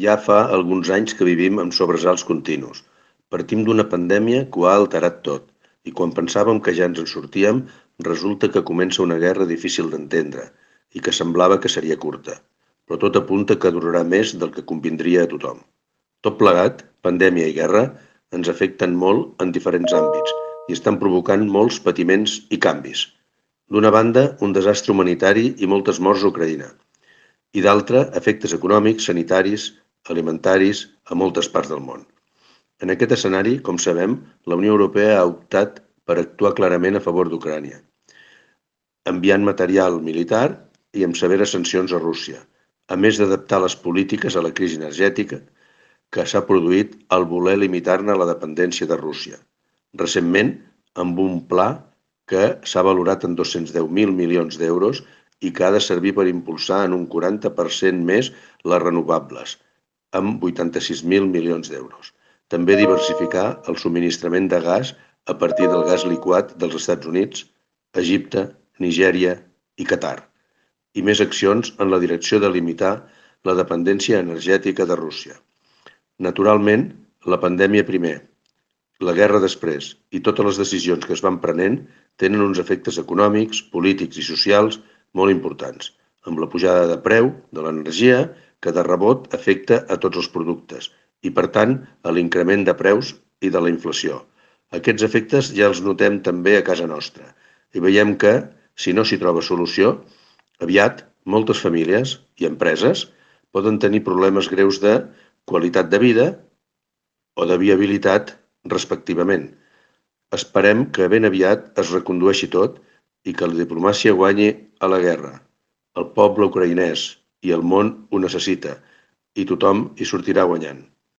Ja fa alguns anys que vivim amb sobresalts continus. Partim d'una pandèmia que ho ha alterat tot, i quan pensàvem que ja ens en sortíem, resulta que comença una guerra difícil d'entendre i que semblava que seria curta, però tot apunta que durarà més del que convindria a tothom. Tot plegat, pandèmia i guerra, ens afecten molt en diferents àmbits i estan provocant molts patiments i canvis. D'una banda, un desastre humanitari i moltes morts a Ucraïna, i d'altra, efectes econòmics, sanitaris, alimentaris a moltes parts del món. En aquest escenari, com sabem, la Unió Europea ha optat per actuar clarament a favor d'Ucrània, enviant material militar i amb severes sancions a Rússia, a més d'adaptar les polítiques a la crisi energètica que s'ha produït al voler limitar-ne la dependència de Rússia. Recentment, amb un pla que s'ha valorat en 210.000 milions d'euros i que ha de servir per impulsar en un 40% més les renovables, amb 86.000 milions d'euros. També diversificar el subministrament de gas a partir del gas liquat dels Estats Units, Egipte, Nigèria i Qatar, i més accions en la direcció de limitar la dependència energètica de Rússia. Naturalment, la pandèmia primer, la guerra després i totes les decisions que es van prenent tenen uns efectes econòmics, polítics i socials molt importants, amb la pujada de preu de l'energia que de rebot afecta a tots els productes i, per tant, a l'increment de preus i de la inflació. Aquests efectes ja els notem també a casa nostra i veiem que, si no s'hi troba solució, aviat moltes famílies i empreses poden tenir problemes greus de qualitat de vida o de viabilitat, respectivament. Esperem que ben aviat es recondueixi tot i que la diplomàcia guanyi a la guerra. El poble ucraïnès i el món ho necessita i tothom hi sortirà guanyant.